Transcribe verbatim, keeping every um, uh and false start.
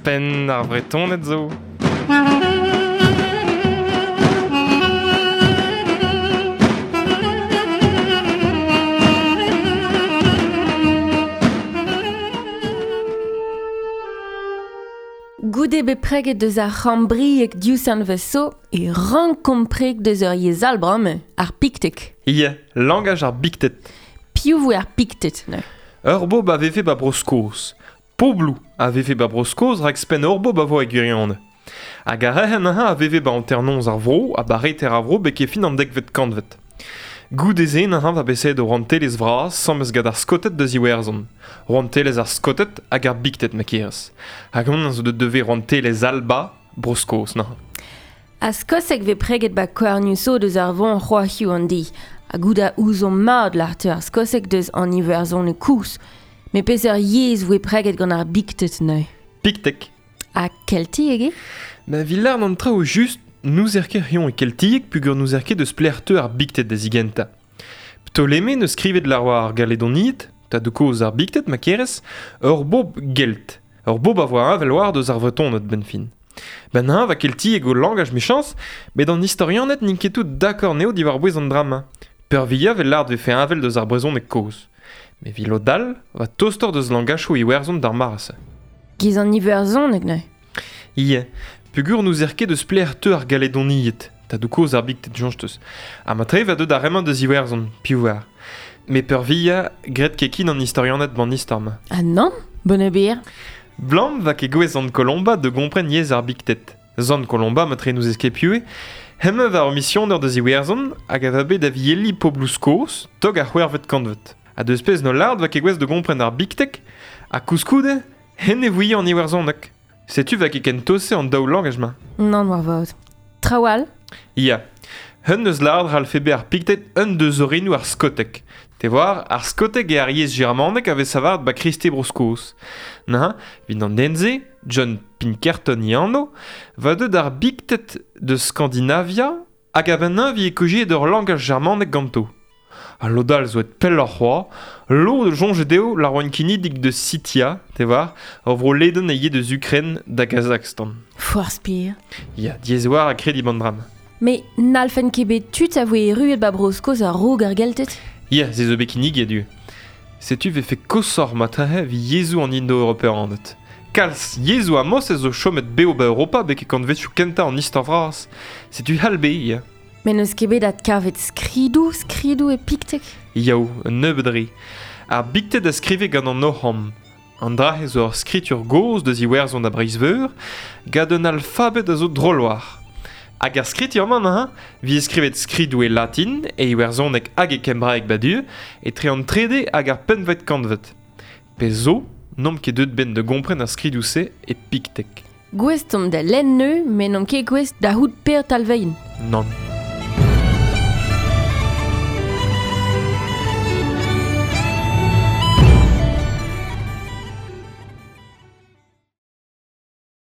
Penn ar Vretoned zo. Goude bet preget deus ar c'hambriek diouzh an veso e rankompreg deus ur yezh all bremañ, ar piktek. Ie, langaj ar biktet. Piv voe ar piktet, ne? Ur bob a vefe ba Bro-Skos. Poblou a vefe ba Bro-Skos rak spenn ur bob a vo e gwirionez. Hag ar re'hen a veve ba hanternoz ar vro ha ba reter ar vro beke fin an dekvet kantvet. Goude-se n'ha va beset o rouantelezh vras sammez gant ar Skoted deus Iwerzhon. Rouantelezh ar Skoted hag ar Bikted ma kerez. Hag hon zo deut devez rouantelezh Alba, Bro-Skos n'ha. A Skoseg vez preget ba koarniou deus ar von c'hoahiou an di. Ha gouda ouzon mad l'arteu ar Skoseg deus an Iwerzhon e kous. Me peseurt yezh voe preget gant ar Bikted neu. Piktek. Ha keltieg eo? Ma villar an traoù just nous er ket rion e keltieg pugur nous er ket deus plerteu ar bikted da zigenta. Ptoleme neus skrivet l'ar war ar galedoniet, ta de koz ar bikted ma kerez, ur bob gelt. Ur bob a voa avel war deus ar vretoned ben fin. Ben ha va keltieg o langaj mechans, met an historianet n'int ket tout d'accord neo diwar bouez an drama. Peurvia vel lard vefe avel deus ar brezhoneg koz. Me vi lodal va tostor deus langachoù iwerzhon d'ar mare-se. Giz an iwerzhoneg neu? Ie. Pugur nous er ket deus plerteu ar galedoniet, ta do koz ar bikted jonsteus. Ha ma tre va deut ar remañ deus Iwerzhon, piv war. Me peurvia gret kekin an historianet ban istor ma. Ah non, bonne bière. Blam va ket gwez Zant Colomba de gompren yezh ar bikted. Zant Colomba ma tre nous eskepiue, hemañ va ur misioner deus Iwerzhon hag a va bet da vieli poblou Skos, tog ar c'hwec'hvet kantvet. Ha deus pezh no lard va ket gwez de gompren ar biktek, ha koulskoude, hen e vouie an Iwerzhoneg. Setu va ket ken tose an daou langaj ma. Non, war vaot. Trawal? Ia. Un eus lard ralfebe ar piktet un deus orinou ar skotek. Te war, ar skotek e ar yezh germanek a vez savard ba Kriste Bro-Skos. Na, vin an denze, John Pinkerton i anno, va deut ar biktet de Skandinavia hag a ben vi e kojiet ur langaj germanek ganto. A lodal zo et pell ar c'hoa, lo de jonge deo la roan kinidik de Sitia, te war, ur vro leden e ye deus Ukraine da Kazakhstan. Foar spir. Ya, diez war a kredi bandram. Me n'alfen ket bet tud a voe erruet ba Bro-Skos ar rog ar geltet? Ya, ze zo bet kinnig du. Setu vefe kosor matrahe vi yezhoù an indo-europeanet. Kalz yezhoù a mos ez zo chomet beo ba Europa beke kantvetioù kentañ an istor vras. Setu halbe, ya. Me n'eus ket bet adkavet skridou, skridou e piktek? Yaou, un nebeud re. Ar bikted a skrive gant an Oc'ham. An dra zo ur skritur gozh deus Iwerzhon a Breizh-Veur, gant un alfabet a zo drolloar. Hag ar skritur-mañ ha, vi e skrivet skridou e latin, e iwerzhoneg hag e kembraeg badu, etre an trede hag ar pempvet kantvet. Pe zo, n'omp ket deut ben de gompren ar skridou-se e piktek. Gouest omp da lenn neu, met n'omp ket gouest da c'hout per talvein. Nann.